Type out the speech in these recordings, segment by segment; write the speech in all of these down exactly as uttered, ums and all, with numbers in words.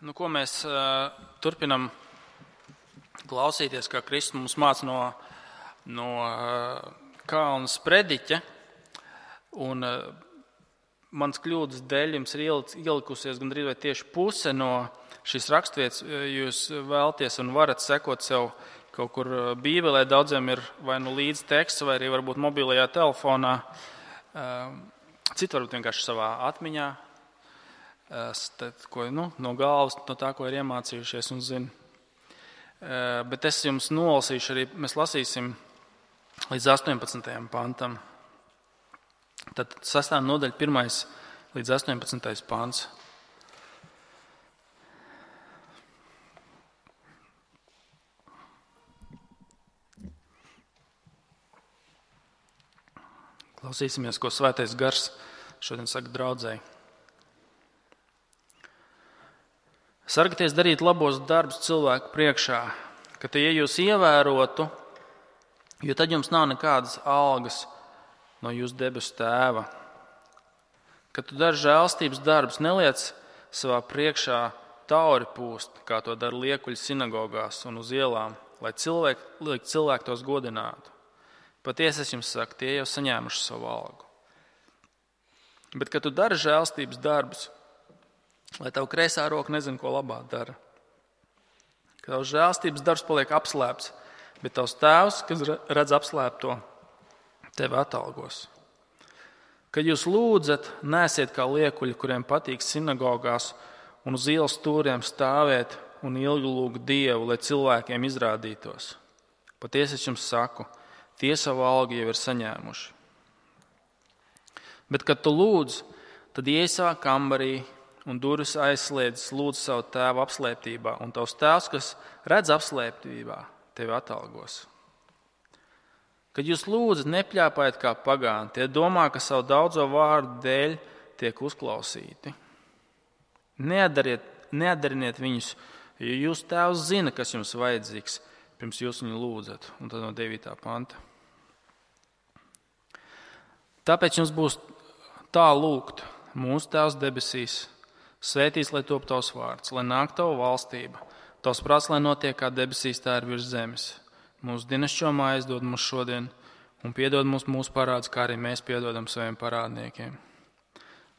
Nu, ko mēs uh, turpinam klausīties, kā Kristus mums māca no, no uh, kalna sprediķa. Un uh, mans kļūdas dēļ jums ir ielikusies gandrīz vai tieši puse no šīs rakstvietas. Jūs vēlties un varat sekot sev kaut kur Bībelē. Daudziem ir vai nu līdz teksts, vai arī varbūt mobilajā telefonā. Uh, Citi varbūt vienkārši savā atmiņā. Tad, ko, nu, no galvas, no tā, ko ir iemācījušies un zina. Bet es jums nolasīšu arī, mēs lasīsim līdz astoņpadsmitajam pantam. Tad sestā nodaļa, pirmais līdz astoņpadsmitais pants. Klausīsimies, ko Svētais Gars šodien saka draudzēji. Sargieties darīt labos darbus cilvēku priekšā, ka tie, ja jūs ievērotu, jo tad jums nav nekādas algas no jūsu debesu tēva. Kad tu dari žēlstības darbus, neliec savā priekšā tauri pūst, kā to dara liekuļi sinagogās un uz ielām, lai cilvēki, lai cilvēki tos godinātu. Patiesi es jums saku, tie jau saņēmuši savu algu. Bet, kad tu dari žēlstības darbus, lai tavu kreisā roka nezina, ko labā dara. Ka tavs žēlstības darbs paliek apslēpts, bet tavs tēvs, kas redz apslēpto, tevi atalgos. Kad jūs lūdzat, neesiet kā liekuļi, kuriem patīk sinagogās un uz ielas stūriem stāvēt un ilgi lūgt Dievu, lai cilvēkiem izrādītos. Patiesi es jums saku, tie savu algu jau ir saņēmuši. Bet, kad tu lūdz, tad iej savā kambarī un durvis aizslēdzas, lūdz savu tēvu apslēptībā, un tavs tēvs, kas redz apslēptībā, tevi atalgos. Kad jūs lūdzat, nepļāpājiet kā pagāni, tie domā, ka savu daudzo vārdu dēļ tiek uzklausīti. Neatdariet, neatdariniet viņus, jo jūs tēvs zina, kas jums vajadzīgs, pirms jūs viņu lūdzat. Un tad no devītā panta. Tāpēc jums būs tā lūgt, mūsu tēvs debesīs, svētīts, lai top tavs vārds, lai nāk tava valstība, tavs prāts, lai notiek kā debesīs, tā ir virs zemes. Mūsu dienascho maizi dod mums šodien un piedod mums mūsu parādus, kā arī mēs piedodam saviem parādniekiem.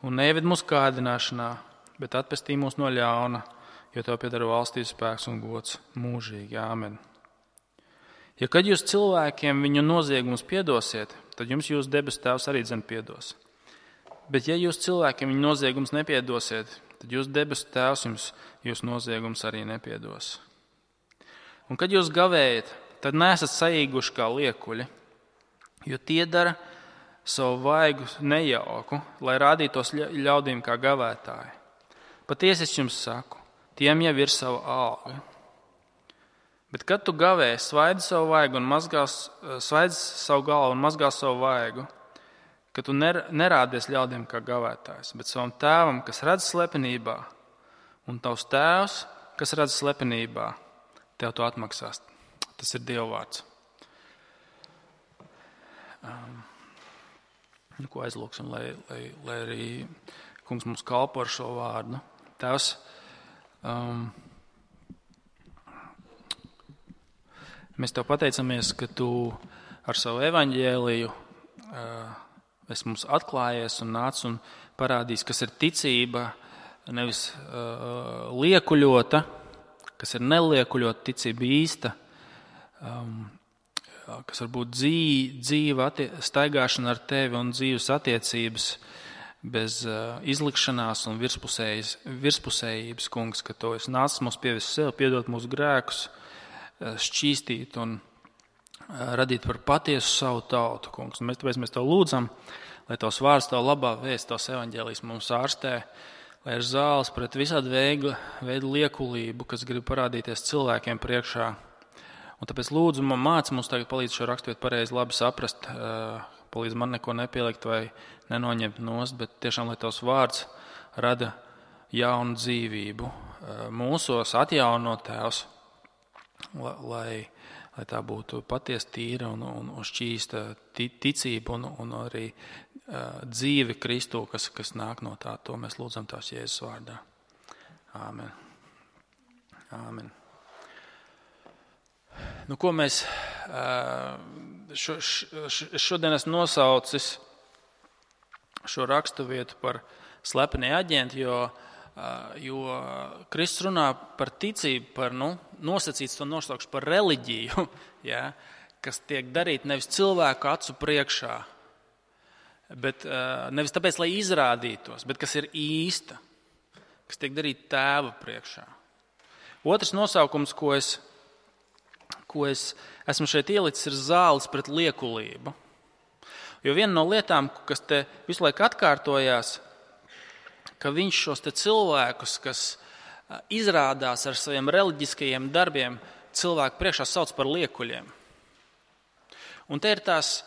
Un neieved mūsu kārdināšanā, bet atpestī mūs no ļauna, jo tev pieder valstības spēks un gods mūžīgi. Āmen. Ja kad jūs cilvēkiem viņu noziegumus piedosiet, tad jums jūsu debesu tēvs arī dzen piedos. Bet ja jūs cilvēkiem viņu noziegumus nepiedosiet, tad jūs debesu tēvs jums jūs noziegums arī nepiedos. Un kad jūs gavējat, tad neesat saīguši kā liekuļi, jo tie dara savu vaigu nejauku, lai rādītos ļaudīm kā gavētāji. Patiesi es jums saku, tiem jau ir sava alga. Bet kad tu gavēji, svaidi savu vaigu un mazgās, svaidi savu galvu un mazgās savu vaigu, ka tu nerādies ļaudīm kā gavētājs, bet savam tēvam, kas redz slepenībā, un tavs tēvs, kas redz slepenībā, tev to atmaksās. Tas ir Dieva vārds. Um, nu, ko aizlūksim, lai, lai, lai arī kungs mums kalpo ar šo vārdu. Tēvs, um, mēs tev pateicamies, ka tu ar savu evaņģēliju uh, esi mums atklājies un nāc un parādījis, kas ir ticība, nevis uh, liekuļota, kas ir neliekuļota ticība īsta, um, kas var būt dzīva, dzīva attie, staigāšana ar tevi un dzīves attiecības bez uh, izlikšanās un virspusējības, kungs, ka tu esi nācis mums pievest sev, piedot mūsu grēkus, uh, šķīstīt un radīt par patiesu savu tautu, kungs. Un mēs tāpēc mēs tev lūdzam, lai tavs vārds, tavu labā vēsts, tavs evaņģēlijs mums ārstē, lai ir zāles pret visādu veidu, veidu liekulību, kas grib parādīties cilvēkiem priekšā. Un tāpēc lūdzu, man māci mums tagad palīdz šo raksturvietu pareizi labi saprast, palīdz man neko nepielikt vai nenoņemt nost, bet tiešām, lai tavs vārds rada jaunu dzīvību mūsos, atjaunot tēvs, lai lai tā būtu patiesi tīra un, un, un šķīsta ticība un, un arī uh, dzīve Kristu, kas, kas nāk no tā. To mēs lūdzam tās Jēzus vārdā. Āmen. Āmen. Nu, ko mēs šo, šo, šodien esmu nosaucis šo raksturvietu par slepenie aģenti, jo, jo Kristus runā par ticību, par nu, nosacīts to nosaukšu par reliģiju, ja, kas tiek darīta nevis cilvēku acu priekšā, bet nevis tāpēc, lai izrādītos, bet kas ir īsta, kas tiek darīta tēva priekšā. Otrs nosaukums, ko es, ko es esmu šeit ielicis, ir zāles pret liekulību. Jo viena no lietām, kas te visu laiku atkārtojās, ka viņš šos te cilvēkus, kas izrādās ar saviem reliģiskajiem darbiem, cilvēku priekšā sauc par liekuļiem. Un te ir tās,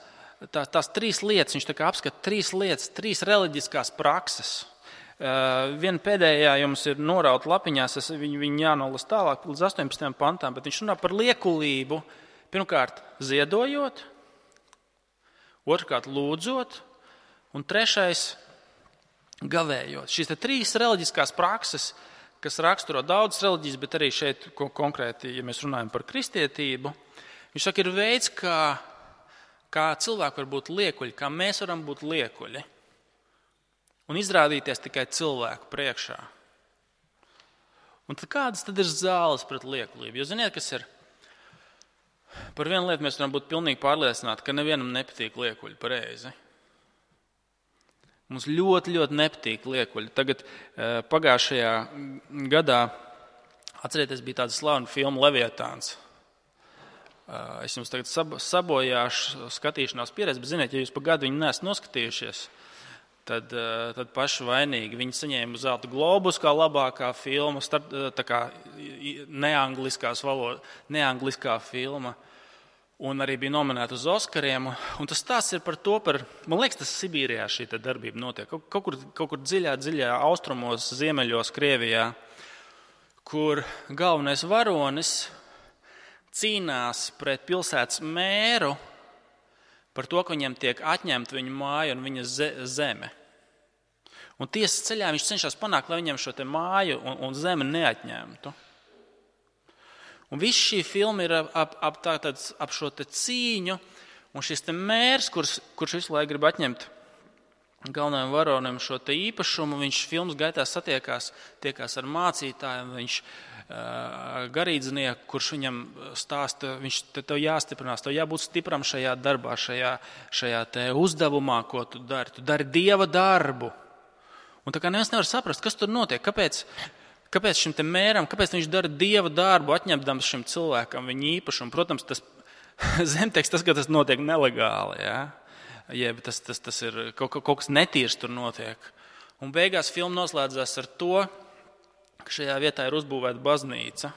tās, tās trīs lietas, viņš tā kā apskata trīs lietas, trīs reliģiskās prakses. Uh, viena pēdējā jums ir norauta lapiņās, es viņu, viņu jānolas tālāk līdz astoņpadsmitajam pantām, bet viņš runā par liekulību, pirmkārt ziedojot, otrkārt lūdzot, un trešais gavējot. Šīs te trīs reliģiskās prakses, kas raksturo daudzas reliģijas, bet arī šeit konkrēti, ja mēs runājam par kristietību, viņš saka, ir veids, kā kā cilvēki var būt liekuļi, kā mēs varam būt liekuļi un izrādīties tikai cilvēku priekšā. Un tad kādas tad ir zāles pret liekulību? Jo ziniet, kas ir? Par vienu lietu mēs varam būt pilnīgi pārliecināti, ka nevienam nepatīk liekuļi pareizi. Mums ļoti, ļoti nepatīk liekuļi. Tagad pagājušajā gadā, atcerieties, bija tāda slavena filma Leviatāns. Es jums tagad sabojāšu skatīšanās pieredzi, bet ziniet, ja jūs pa gadu viņu neesat noskatījušies, tad, tad paši vainīgi. Viņi saņēma zelta globus kā labākā filma, start, tā kā neangliskās valoda, neangliskā filma, un arī bija nominēta uz Oskariem. Un tas stāsts ir par to, par, man liekas, tas Sibīrijā šī darbība notiek, kaut, kaut, kur, kaut kur dziļā, dziļā austrumos, ziemeļos, Krievijā, kur galvenais varonis cīnās pret pilsētas mēru par to, ka viņam tiek atņemta viņa māja un viņa zeme. Un tiesas ceļā viņš cenšas panākt, lai viņam šo te māju un, un zemi neatņemtu. Un viss šī filma ir ap, ap, ap, tā, tāds, ap šo te cīņu, un šis te mērs, kurš, kurš visu laiku grib atņemt galvenajam varonim šo te īpašumu, viņš filmas gaitā satiekās, tiekās ar mācītājiem, viņš garīdznieku, kurš viņam stāsta, viņš te tev jāstiprinās, tev jābūt stipram šajā darbā, šajā, šajā te uzdevumā, ko tu dari. Tu dari Dieva darbu. Un tā kā neviens nevar saprast, kas tur notiek, kāpēc, kāpēc šim te mēram, kāpēc viņš dara Dieva darbu, atņemdams šim cilvēkam viņa īpašumu. Protams, tas zemteksts, tas, ka tas notiek nelegāli, ja? Jeb tas, tas, tas ir kaut, kaut kas netīrs tur notiek. Un beigās filma noslēdzās ar to, ka šajā vietā ir uzbūvēta baznīca,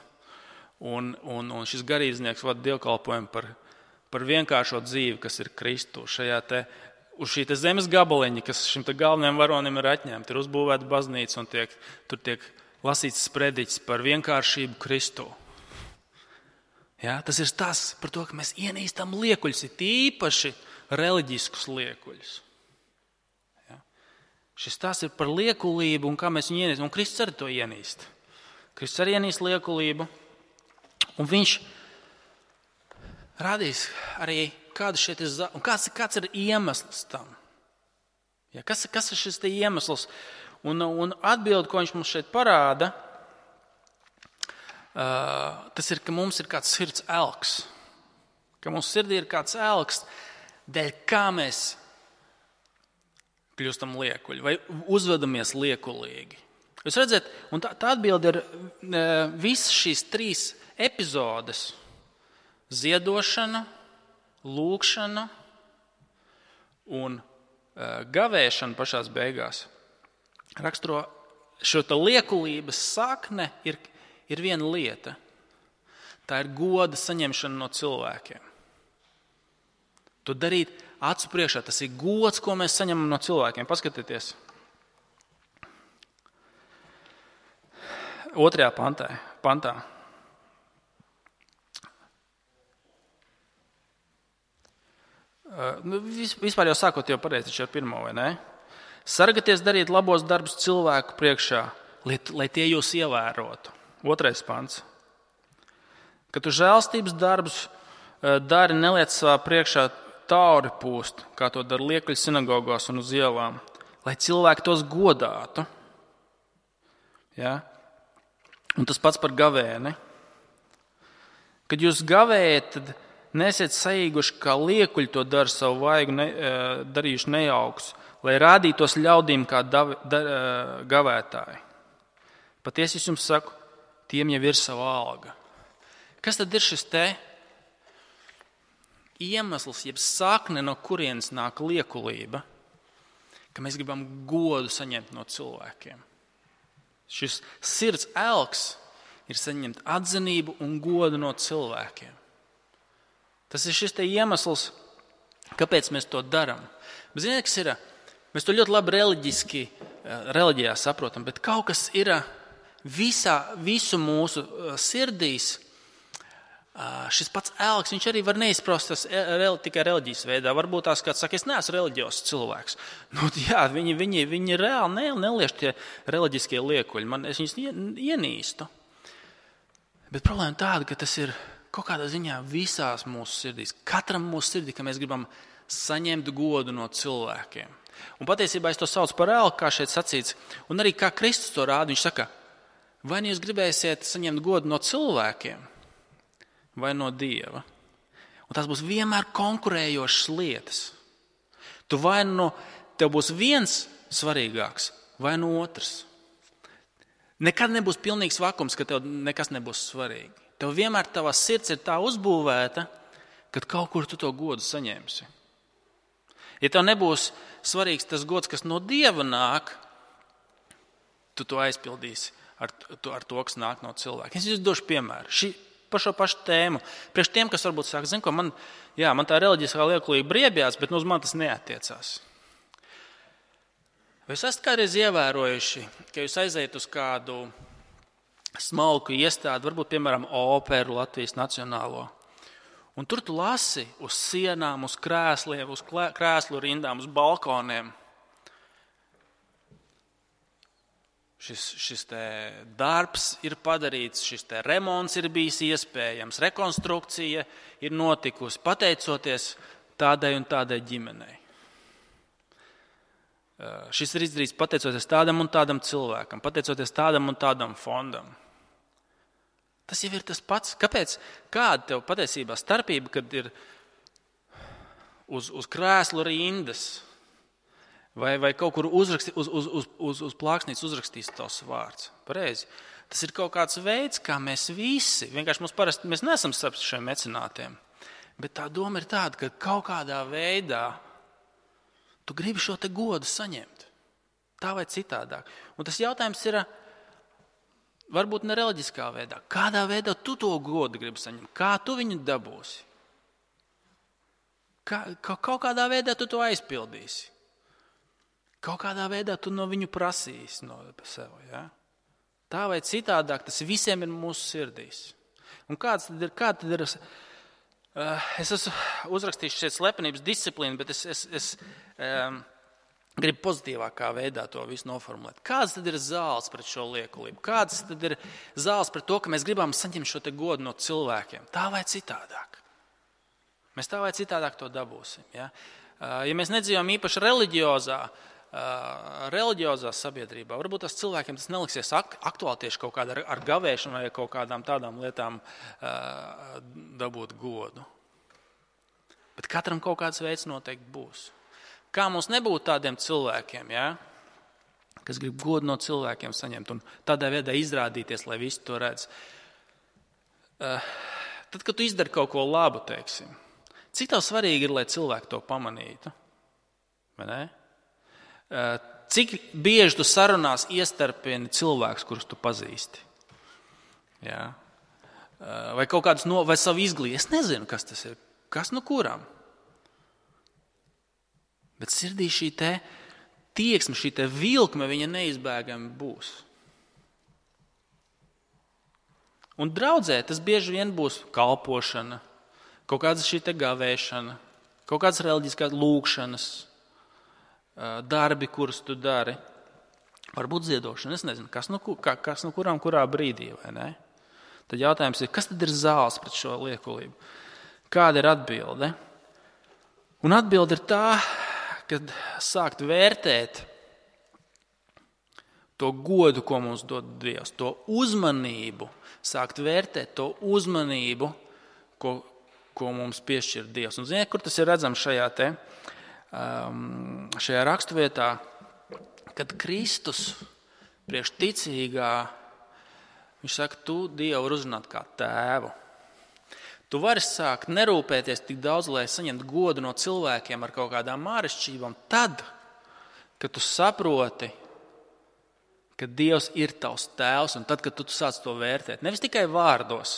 un, un, un šis garīdznieks vada dievkalpojumu par, par vienkāršo dzīvi, kas ir Kristu. Šajā te, uz šī te zemes gabaliņa, kas šim te galvenajam varonim ir atņemta, ir uzbūvēta baznīca, un tiek, tur tiek lasīts sprediķis par vienkāršību Kristu. Ja, tas ir tas par to, ka mēs ienīstam liekuļus, ir īpaši reliģiskus liekuļus. Šis tās ir par liekulību un kā mēs viņu ienīstam. Un Kristus arī to ienīst. Kristus arī ienīst liekulību. Un viņš rādīs arī, kāda šeit ir, un kāds, kāds ir iemesls tam. Ja, kas, kas ir šis te iemesls? Un, un atbildi, ko viņš mums šeit parāda, uh, tas ir, ka mums ir kāds sirds elks. Ka mums sirdī ir kāds elks, dēļ kā mēs kļūstam liekuļi vai uzvedamies liekulīgi. Jūs redzat, un tā, tā atbilde ir e, visas šīs trīs epizodes – ziedošana, lūgšana un e, gavēšana pašās beigās. Raksturo šo te liekulības sakne ir, ir viena lieta. Tā ir goda saņemšana no cilvēkiem. To darīt acu priekšā, tas ir gods, ko mēs saņemam no cilvēkiem. Paskatieties. Otrajā pantā. pantā. Uh, vispār jau sākot jau pareizi taču ar pirmo, vai ne? Sargaties darīt labos darbus cilvēku priekšā, lai, lai tie jūs ievērotu. Otrais pants. Kad tu žēlstības darbus dari, neliec savā priekšā tauri pūst, kā to dara liekuļu sinagogās un uz ielām, lai cilvēki tos godātu. Ja? Un tas pats par gavēni. Kad jūs gavējat, tad nesiet saīguši, kā liekuļi to dara savu vaigu ne, darījuši nejauks, lai rādītos ļaudīm kā davi, da, gavētāji. Patiesi es jums saku, tiem jau ir sava alga. Kas tad ir šis te iemesls, jeb sakne, no kurienes nāk liekulība, ka mēs gribam godu saņemt no cilvēkiem? Šis sirds elks ir saņemt atzinību un godu no cilvēkiem. Tas ir šis te iemesls, kāpēc mēs to darām. Bet ziniet, kas ir? Mēs to ļoti labi reliģiski, reliģijā saprotam, bet kaut kas ir visā, visu mūsu sirdīs. Šis pats elks, viņš arī var neizprostas tikai reliģijas veidā. Varbūt tās kāds saka, es neesmu reliģios cilvēks. Nu, jā, viņi, viņi, viņi reāli ne, neliež tie reliģiskie liekuļi. Man, es viņus ienīstu. Bet problēma tāda, ka tas ir kaut kādā ziņā visās mūsu sirdīs. Katram mūsu sirdī, ka mēs gribam saņemt godu no cilvēkiem. Un patiesībā es to saucu par elku, kā šeit sacīts. Un arī kā Kristus to rāda, viņš saka, vai nu jūs gribēsiet saņemt godu no cilvēkiem, vai no Dieva. Un tās būs vienmēr konkurējošas lietas. Tu vai nu tev būs viens svarīgāks, vai no otrs. Nekad nebūs pilnīgs vakums, ka tev nekas nebūs svarīgi. Tev vienmēr tavā sirds ir tā uzbūvēta, kad kaut kur tu to godu saņemsi. Ja tev nebūs svarīgs tas gods, kas no Dieva nāk, tu to aizpildīsi ar, ar to, kas nāk no cilvēka. Es jums došu piemēru. Šī, par šo pašu tēmu. Priekš tiem, kas varbūt saka, zin ko, man, jā, man tā reliģiskā liekulība briebjās, bet nu uz man tas neattiecās. Vai jūs esat kādreiz ievērojuši, ka jūs aiziet uz kādu smalku iestādi, varbūt, piemēram, operu, Latvijas nacionālo, un tur tu lasi uz sienām, uz krēsliem, uz krēslu rindām, uz balkoniem. Šis, šis te darbs ir padarīts, šis te remonts ir bijis iespējams, rekonstrukcija ir notikusi, pateicoties tādai un tādai ģimenei. Šis ir izdarīts pateicoties tādam un tādam cilvēkam, pateicoties tādam un tādam fondam. Tas jau ir tas pats. Kāpēc? Kāda tev patiesībā starpība, kad ir uz, uz krēslu rindas vai, vai kaut kur uzraksti, uz, uz, uz, uz, uz plāksnītes uzrakstīts tavs vārds? Pareizi. Tas ir kaut kāds veids, kā mēs visi, vienkārši mums parasti, mēs neesam starp šiem mecenātiem, bet tā doma ir tāda, ka kaut kādā veidā tu gribi šo te godu saņemt. Tā vai citādāk. Un tas jautājums ir, varbūt ne reliģiskā veidā. Kādā veidā tu to godu gribi saņemt? Kā tu viņu dabūsi? Kā, kaut kādā veidā tu to aizpildīsi. Kaut kādā veidā tu no viņu prasīsi no sev. Ja? Tā vai citādāk, tas visiem ir mūsu sirdīs. Un kāds tad ir? Kā tad ir es esmu uzrakstījis šeit slepenības disciplīnu, bet es, es, es um, gribu pozitīvākā veidā to visu noformulēt. Kāds tad ir zāles pret šo liekulību? Kāds tad ir zāles pret to, ka mēs gribam saņemt šo te godu no cilvēkiem? Tā vai citādāk? Mēs tā vai citādāk to dabūsim. Ja, ja mēs nedzīvojam īpaši reliģiozā, reliģiozā sabiedrībā, varbūt tas cilvēkiem tas neliksies aktuāli tieši kaut kādā ar gavēšanu vai kaut kādām tādām lietām dabūt godu. Bet katram kaut kāds veids noteikti būs. Kā mums nebūt tādiem cilvēkiem, ja, kas grib godu no cilvēkiem saņemt un tādā veidā izrādīties, lai visi to redz. Tad, kad tu izdari kaut ko labu, teiksim, cik tev svarīgi ir, lai cilvēki to pamanītu? Vai ne? Cik bieži tu sarunās iestarpieni cilvēkus, kurus tu pazīsti? Ja? Vai kaut kādus no, vai savu izglītību? Es nezinu, kas tas ir. Kas nu kuram? Bet sirdī šī te tieksme, šī te vilkme, viņa neizbēgami būs. Un draudzē tas bieži vien būs kalpošana, kaut kāda šī te gavēšana, kaut kādas reliģiskās lūkšanas, darbi, kurus tu dari. Varbūt ziedošana, es nezinu, kas nu, kas nu kuram, kurā brīdī, vai ne? Tad jautājums ir, kas tad ir zāles pret šo liekulību? Kāda ir atbilde? Un atbilde ir tā, kad sākt vērtēt to godu, ko mums dod Dievs, to uzmanību, sākt vērtēt to uzmanību, ko, ko mums piešķir Dievs. Un ziniet, kur tas ir redzams šajā, te, um, šajā raksturvietā, kad Kristus priekš ticīgā, viņš saka, tu Dievu var uzrunāt kā tēvu. Tu vari sākt nerūpēties tik daudz, lai saņemtu godu no cilvēkiem ar kaut kādām āršķirībām, tad, kad tu saproti, ka Dievs ir tavs tēvs, un tad, kad tu sāc to vērtēt, nevis tikai vārdos,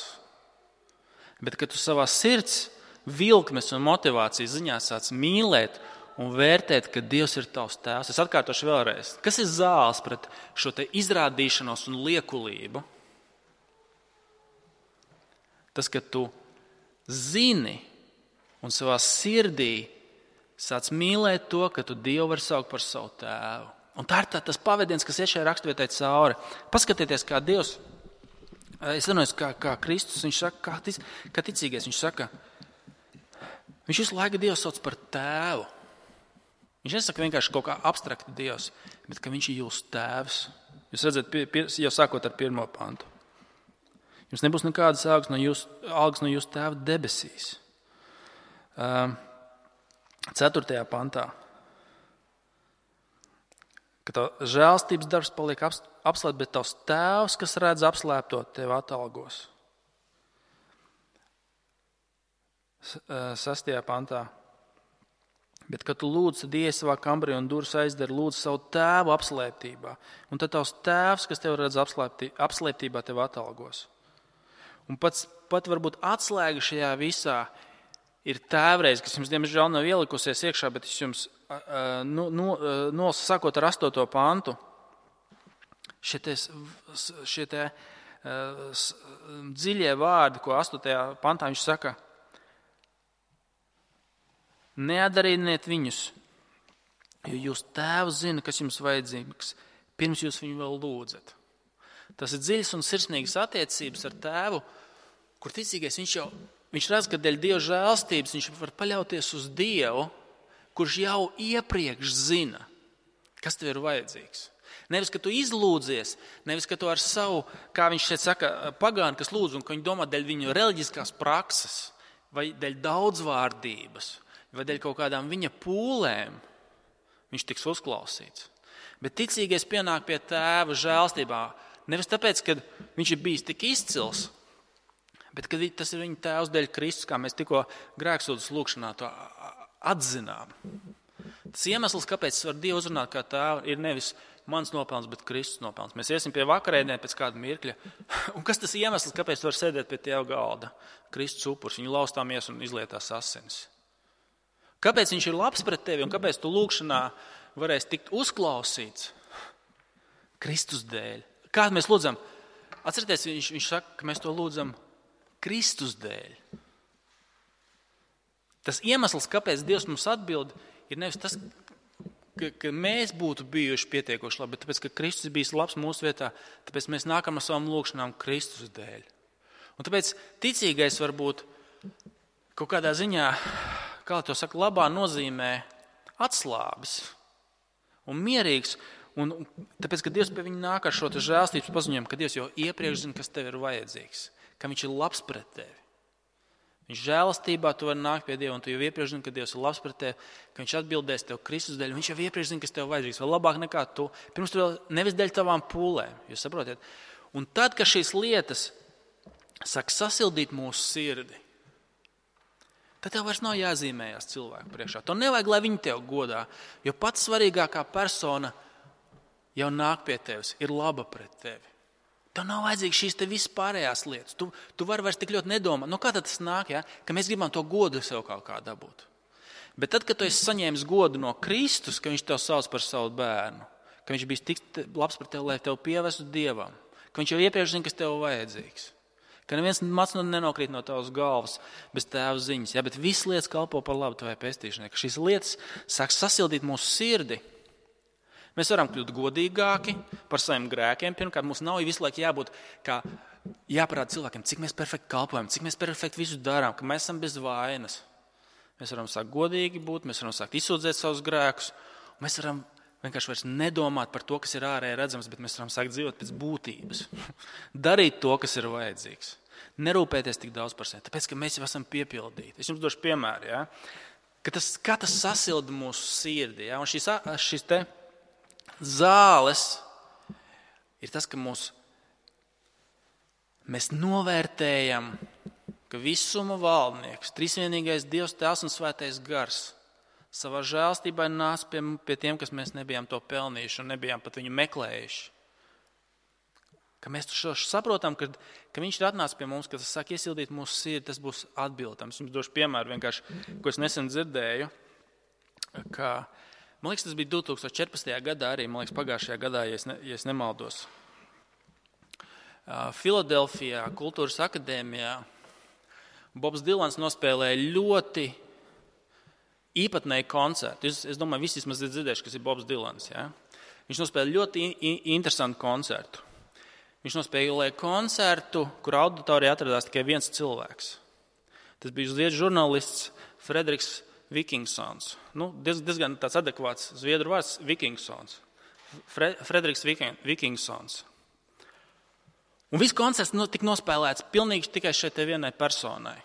bet kad tu savā sirds vilkmes un motivācijas ziņā sāc mīlēt un vērtēt, ka Dievs ir tavs tēvs. Es atkārtošu vēlreiz. Kas ir zāles pret šo te izrādīšanos un liekulību? Tas, ka tu zini un savā sirdī sāc mīlēt to, ka tu Dievu vari saukt par savu tēvu. Un tā ir tā, tas pavadiens, kas iet šajā raksturvietā cauri. Paskatieties, kā Dievs, es runāju, kā, kā Kristus, viņš saka, kā, tic, kā ticīgais, viņš saka, viņš visu laiku Dievu sauc par tēvu. Viņš nesaka vienkārši kaut kā abstrakti Dievs, bet ka viņš ir jūsu tēvs. Jūs redzat, pie, pie, jau sākot ar pirmo pantu. Jums nebūs nekādas algas no jūsu, algas no jūsu tēva debesīs. Ceturtajā pantā. Ka tā žēlstības darbs paliek apslēpts, bet tavs tēvs, kas redz apslēpto, tev atalgos. Sastajā pantā. Bet, kad tu lūdz, tad ies savā kambarī un durvis aizdari, lūdz savu tēvu apslēptībā. Un tad tavs tēvs, kas tev redz apslēptībā, tev atalgos. Un pats, pat varbūt atslēga šajā visā ir tēvreiz, kas jums, diemžēl, nav ielikusies iekšā, bet es jums, nu, nu, nu, sākot ar astoto pantu, šie te, šie te dziļie vārdi, ko astotajā pantā viņš saka, neatdarīniet viņus, jo jūs tēvs zina, kas jums vajadzīgs, pirms jūs viņu vēl lūdzat. Tas ir dziļas un sirsnīgas attiecības ar tēvu, kur ticīgais viņš jau, viņš redz, ka dēļ Dieva žēlstības viņš var paļauties uz Dievu, kurš jau iepriekš zina, kas tev ir vajadzīgs. Nevis, ka tu izlūdzies, nevis, ka tu ar savu, kā viņš šeit saka, pagāni, kas lūdz, un ka viņi domā dēļ viņu reliģiskās prakses, vai dēļ daudzvārdības, vai dēļ kaut kādām viņa pūlēm, viņš tiks uzklausīts. Bet ticīgais pienāk pie tēva žēlstībā, nevis tāpēc, ka viņš ir bijis tik izcils, bet ka tas ir viņa tēvs dēļ Kristus, kā mēs tikko grēksūdzes lūkšanā to atzinām. Tas iemesls, kāpēc es varu Dievu uzrunāt kā tēvu, ir nevis mans nopelns, bet Kristus nopelns. Mēs iesim pie vakarēdienē pēc kāda mirkļa. Un kas tas iemesls, kāpēc tu vari sēdēt pie tēva galda? Kristus upurs, viņu laustāmies un izlietās asinis. Kāpēc viņš ir labs pret tevi un kāpēc tu lūkšanā varēsi tikt uzklausīts? Kristus dēļ. Kā mēs lūdzam? Atcerieties, viņš, viņš saka, ka mēs to lūdzam Kristus dēļ. Tas iemesls, kāpēc Dievs mums atbild, ir nevis tas, ka, ka mēs būtu bijuši pietiekoši labi, bet tāpēc, ka Kristus ir bijis labs mūsu vietā, tāpēc mēs nākam ar savām lūkšanām Kristus dēļ. Un tāpēc ticīgais var būt kaut kādā ziņā, kā to saka, labā nozīmē atslābis un mierīgs. Un tāpēc, ka Dievs pie viņa nāk ar šo žēlstības paziņojumu, ka Dievs jau iepriekš zina, kas tev ir vajadzīgs, ka viņš ir labs pret tevi. Viņš žēlastībā tu vari nākt pie Dieva, un tu jau iepriekš zini, ka Dievs ir labs pret tevi, ka viņš atbildēs tev Kristus dēļ, viņš jau iepriekš zina, kas tev vajadzīgs, vēl labāk nekā tu. Pirms tu vēl nevis dēļ tavām pūlēm, jūs saprotiet? Un tad, kad šīs lietas sāk sasildīt mūsu sirdi, tad tev vairs nav jāzīmējās cilvēku priekšā. To nevajag, lai viņi tev godā, jo pats svarīgākā persona jau nāk pie tevis, ir laba pret tevi. Tev nav vajadzīgs šīs te vispārējās lietas. Tu, tu vari vairs tik ļoti nedomāt. Nu, kā tad tas nāk, ja? Ka mēs gribam to godu sev kaut kā dabūt. Bet tad, kad tu esi saņēmis godu no Kristus, ka viņš tev sauc par savu bērnu, ka viņš bijis tik labs par tevi, lai tev pievestu Dievam, ka viņš jau iepriekš zina, kas tev vajadzīgs, ka neviens mats nenokrīt no tavas galvas bez tēva ziņas, ja? Bet visas lietas kalpo par labu tavai pestīšanai, ka šīs lietas sāk sasildīt mūsu sirdi. Mēs varam kļūt godīgāki par saviem grēkiem. Pirmkārt, mums nav visu laiku jābūt kā jāparāda cilvēkiem, cik mēs perfekti kalpojam, cik mēs perfekti visu darām, ka mēs esam bez vainas. Mēs varam sākt godīgi būt, mēs varam sākt izsūdzēt savus grēkus, un mēs varam vienkārši vairs nedomāt par to, kas ir ārēji redzams, bet mēs varam sākt dzīvot pēc būtības. Darīt to, kas ir vajadzīgs. Nerūpēties tik daudz par sevi, tāpēc, ka mēs jau esam piepildīti. Es jums došu piemēru, ja? Ka tas, kā tas sasilda mūsu sirdi. Ja? Un šis, šis te zāles ir tas, ka mūs, mēs novērtējam, ka visuma valdnieks, trīsvienīgais Dievs, Tēvs un Svētais Gars savā žēlstībā nāc pie, pie tiem, kas mēs nebijām to pelnījuši un nebijām pat viņu meklējuši. Ka mēs to saprotam, ka, ka viņš ir atnācis pie mums, ka tas sāk iesildīt mūsu sirdi, tas būs atbildams. Jums došu piemēru vienkārši, ko es nesen dzirdēju, ka, man liekas, tas bija divi tūkstoši četrpadsmitajā gadā arī, man liekas, pagājušajā gadā, ja es, ne, ja es nemaldos. Filadelfijā, Kultūras akadēmijā, Bobs Dilans nospēlēja ļoti īpatnēju koncertu. Es, es domāju, visi vismaz ir dzirdējuši, kas ir Bobs Dilans. Ja? Viņš nospēlēja ļoti in, interesantu koncertu. Viņš nospēlēja koncertu, kur auditorijā atradās tikai viens cilvēks. Tas bija zviedru žurnālists Frederiks Vikingsons. Nu, diez, diezgan tāds adekvāts zviedru vārds Vikingsons. Fre, Frederiks Vikingsons. Un viss koncerts no, tika nospēlēts pilnīgi tikai šai te vienai personai.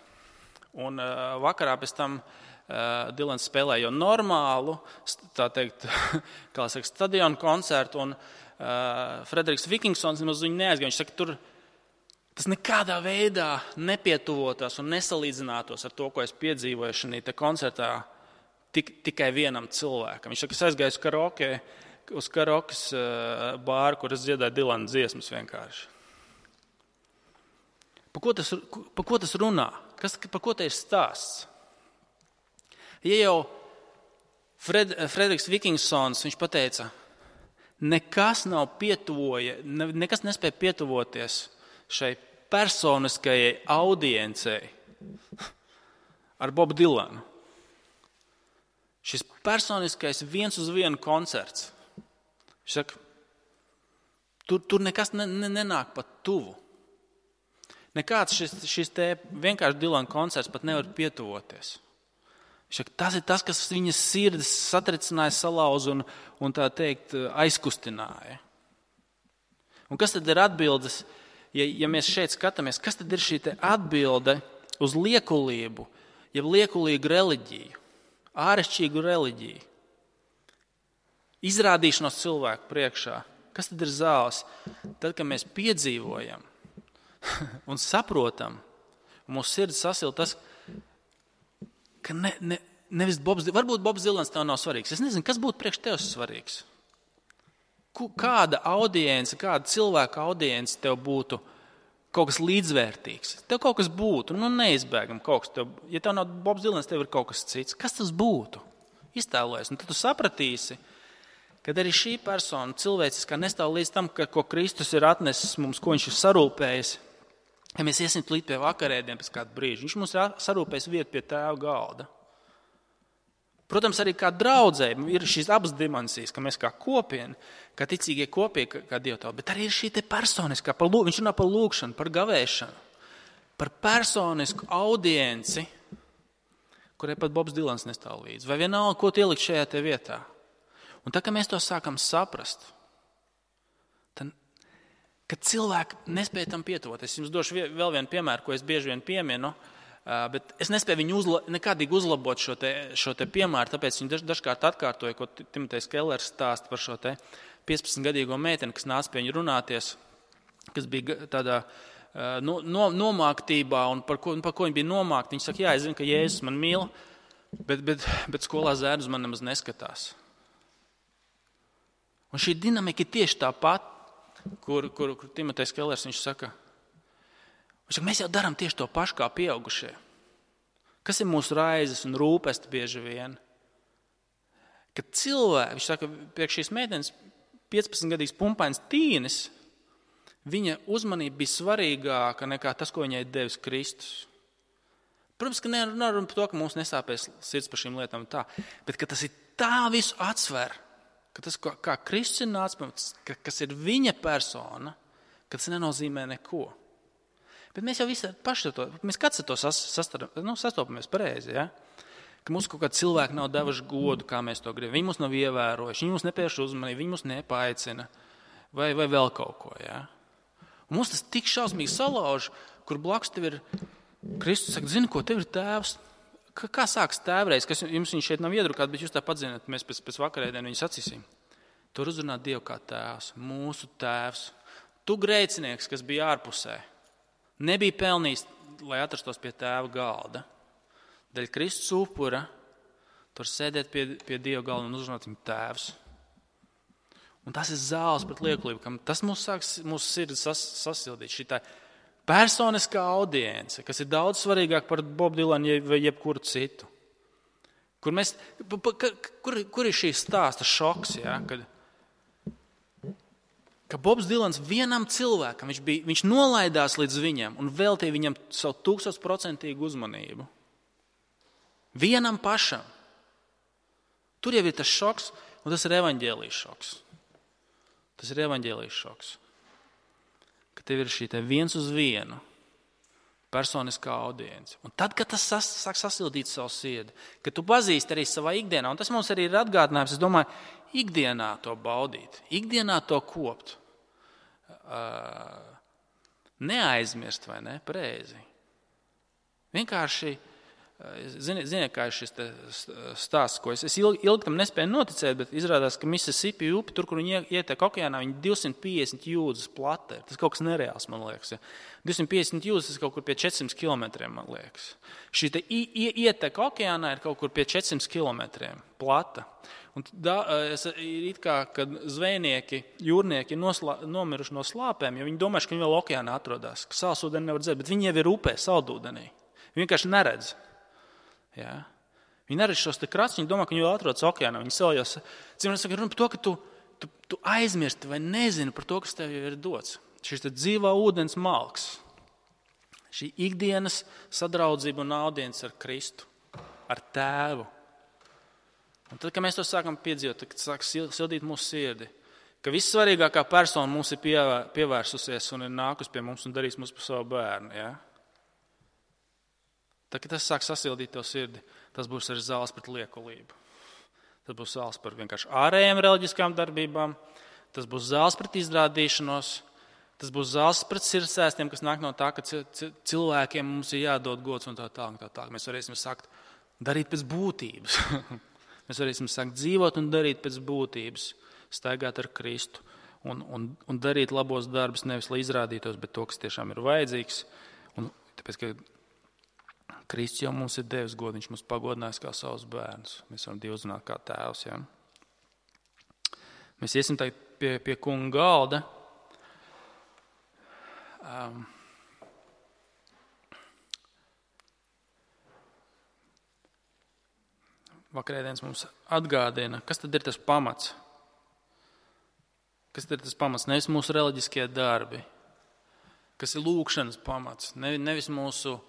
Un uh, vakarā pēc tam uh, Dilans spēlēja jau normālu, tā teikt, kā saka, stadionu koncertu, un uh, Frederiks Vikingsons nemaz viņu neaizgāja. Viņš saka, tur tas nekādā veidā nepietuvotos un nesalīdzinātos ar to, ko es piedzīvoju šajā koncertā tik, tikai vienam cilvēkam. Viņš saka, es aizgāju uz karaoke, uz karaokas uh, bāru, kur es dziedāju Dilana dziesmas vienkārši. Par ko tas, par ko tas runā? Kas, par ko te ir stāsts? Ja jau Fred, Frederiks Vikingsons, viņš pateica, nekas nav pietuvoja, nekas nespēja pietuvoties šai personiskajai audiencei ar Bobu Dilanu. Šis personiskais viens uz vienu koncerts. Viņš saka, tur, tur nekas ne, ne, nenāk pat tuvu. Nekāds šis, šis te vienkārši Dilana koncerts pat nevar pietuvoties. Saka, tas ir tas, kas viņas sirds satricināja, salauz un, un tā teikt aizkustināja. Un kas tad ir atbildes, ja, ja mēs šeit skatāmies, kas tad ir šī te atbilde uz liekulību, ja liekulīgu reliģiju, ārešķīgu reliģiju, izrādīšanos cilvēku priekšā? Kas tad ir zāles? Tad, kad mēs piedzīvojam un saprotam, un mūsu sirds sasil tas, ka ne, ne, nevis Bobs, varbūt Bobs Dilans tev nav svarīgs. Es nezinu, kas būtu priekš tev svarīgs. Kāda audience, kāda cilvēka audience tev būtu kaut kas līdzvērtīgs. Tev kaut kas būtu, nu neizbēgam kaut kas. Tev, ja tev nav Bobs Dilans, tev ir kaut kas cits. Kas tas būtu? Iztēlojies, un tad tu sapratīsi, kad arī šī persona cilvēciskā nestāv līdz tam, ka, ko Kristus ir atnesis mums, ko viņš ir sarūpējis. Ja mēs iesim līdz pie vakarēdiem pēc kādu brīžu, viņš mums ir sarūpējis vietu pie tēva galda. Protams, arī kā draudzē ir šīs abas dimensijas, ka mēs kā kopieni, kā ticīgie kopīgi, kā dievtauta, bet arī ir šī te personiskā, par, viņš runā par lūgšanu, par gavēšanu, par personisku audienci, kurai pat Bobs Dilans nestāv līdzi. Vai vienalga, ko tu ielikt šajā te vietā. Un tā, ka mēs to sākam saprast, tad, kad cilvēki nespēja tam pietuvoties, es jums došu vēl vienu piemēru, ko es bieži vien pieminu, bet es nespēju viņu uzla, nekādīgi uzlabot šo te, šo te piemēru, tāpēc viņi daž, dažkārt atkārtoja, ko Timotejs Kellers stāsta par šo te piecpadsmitgadīgo meiteni, kas nāca pie viņu runāties, kas bija tādā no, no, nomāktībā un par ko, par ko viņa bija nomākta. Viņa saka, jā, es zinu, ka Jēzus man mīl, bet, bet, bet skolā zēnu uz man nemaz neskatās. Un šī dinamika ir tieši tā pat, kur, kur, kur Timotejs Kellers viņš saka, viņš saka, mēs jau darām tieši to pašu kā pieaugušie. Kas ir mūsu raizes un rūpesti bieži vien? Kad cilvēki, viņš saka, priekš šīs meitenes piecpadsmitgadīgs pumpains tīnis, viņa uzmanība bija svarīgāka nekā tas, ko viņai devis Kristus. Protams, ka nerunājam par to, ka mums nesāpēs sirds par šīm lietām tā, bet ka tas ir tā visu atsver, ka tas, kā Kristus ir nācis, kas ir viņa persona, ka tas nenozīmē neko. Bet mēs jau visi paši to, mēs kāds ar to sas, sastar, nu, sastopamies pareizi, ja? Ka mums kaut kādi cilvēki nav devuši godu, kā mēs to gribam. Viņi mūs nav ievērojuši, viņi mūs nepievērš uzmanību, viņi mūs nepaicina vai, vai vēl kaut ko. Ja? Un mums tas tik šausmīgi salauž, kur blakus tev ir Kristus saka, zini, ko tev ir tēvs? Kā, kā sāks tēvreiz, kas jums viņš šeit nav iedrukāt, bet jūs tā padzināt, mēs pēc, pēc vakarēdienu viņu sacīsim. Tur uzrunā Dievu kā tēvs, mūsu tēvs. Tu grēcinieks, kas bija ārpusē, nebija pelnījis, lai atrastos pie tēva galda. Dēļ Kristus upura, tur sēdēt pie, pie Dieva galda un uzrunāt viņu tēvs. Un tas ir zāles pret liekulību, kam tas mūs sāks, mūsu sirdi sas, sasildīt. Šī tā personiskā audience, kas ir daudz svarīgāk par Bobu Dilanu vai jebkuru citu. Kur, mēs, kur, kur ir šī stāsta šoks, ja? Kad, ka Bobs Dilans vienam cilvēkam, viņš, bija, viņš nolaidās līdz viņam un veltīja viņam savu tūkstošprocentīgu uzmanību. Vienam pašam. Tur jau ir tas šoks, un tas ir evaņģēlijas šoks. Tas ir evaņģēlijas šoks. Ka tev ir šī te viens uz vienu personiskā audience. Un tad, kad tas sas, sāk sasildīt savu sirdi, kad tu pazīsti arī savā ikdienā, un tas mums arī ir atgādinājums, es domāju, ikdienā to baudīt, ikdienā to kopt. Uh, neaizmirst, vai ne, pareizi. Vienkārši Ziniet, ziniet, kā ir šis stāsts, ko es, es ilgi, ilgi tam nespēju noticēt, bet izrādās, ka Mississippi upi, tur, kur viņi ietek okeānā, viņi divsimt piecdesmit jūdzes plata ir. Tas kaut kas nereāls, man liekas. Ja. divsimt piecdesmit jūdzes, tas kaut kur pie četrsimt kilometriem, man liekas. Šī te ietek okeānā ir kaut kur pie četrsimt kilometriem plata. Un da, es, ir it kā, kad zvejnieki, jūrnieki noslā, nomiruši no slāpēm, jo viņi domājuši, ka viņi vēl okeānā atrodas, ka sālsūdeni nevar dzert, bet viņi jau ir upē, saldūdenī. Viņi vienkārši neredz. Ja? Viņi neredz šos te kratus, viņi domā, ka viņi vēl atrodas okeānā. Viņi vēl jau saka, runa par to, ka tu, tu, tu aizmirsti vai nezini par to, kas tev jau ir dots. Šis te dzīvā ūdens malks. Šī ikdienas sadraudzība un audience ar Kristu, ar tēvu. Un tad, kad mēs to sākam piedzīvot, tad sāk sildīt mūsu sirdi, ka vissvarīgākā persona mums ir pievērsusies un ir nākus pie mums un darīs mums par savu bērnu. Ja? Tad, kad tas sāk sasildīt tev sirdi, tas būs arī zāles pret liekulību. Tas būs zāles par vienkārši ārējām reliģiskām darbībām, tas būs zāles pret izrādīšanos, tas būs zāles pret sirdsēstiem, kas nāk no tā, ka cilvēkiem mums ir jādod gods un tā tālāk. Tā, tā. Mēs varēsim sākt darīt pēc būtības. Mēs varēsim sākt dzīvot un darīt pēc būtības, staigāt ar Kristu un, un, un darīt labos darbus, nevis lai izrādītos, bet to, kas tiešām ir vajadzīgs. Un tāpēc, ka Kristus jau mums ir devis godu, viņš mums pagodinājis kā savus bērnus. Mēs varam Dievu uzrunāt kā tēvs. Ja? Mēs iesim tagad pie, pie kunga galda. Um, Vakarēdienas mums atgādina, kas tad ir tas pamats. Kas tad ir tas pamats? Nevis mūsu reliģiskie darbi, kas ir lūkšanas pamats, nevis mūsu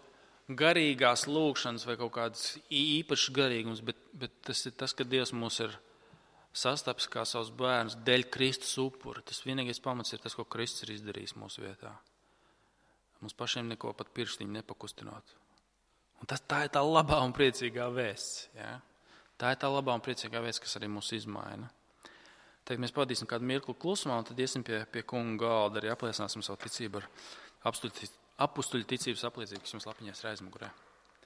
garīgās lūkšanas vai kaut kāds īpašs garīgums, bet, bet tas ir tas, ka Dievs mūs ir sastaps kā savus bērnus dēļ Kristus upura. Tas vienīgais pamats ir tas, ko Kristus ir izdarījis mūsu vietā. Mums pašiem neko pat pirkstiņu nepakustinot. Un tas, tā ir tā labā un priecīgā vēsts. Ja? Tā ir tā labā un priecīgā vēsts, kas arī mūs izmaina. Tagad mēs pavadīsim kādu mirkli klusumā un tad iesim pie, pie kunga galda, arī apliecināsim savu ticību ar apstuļu apustuļu ticības apliecību, kas jums lapiņās ir aizmugurē.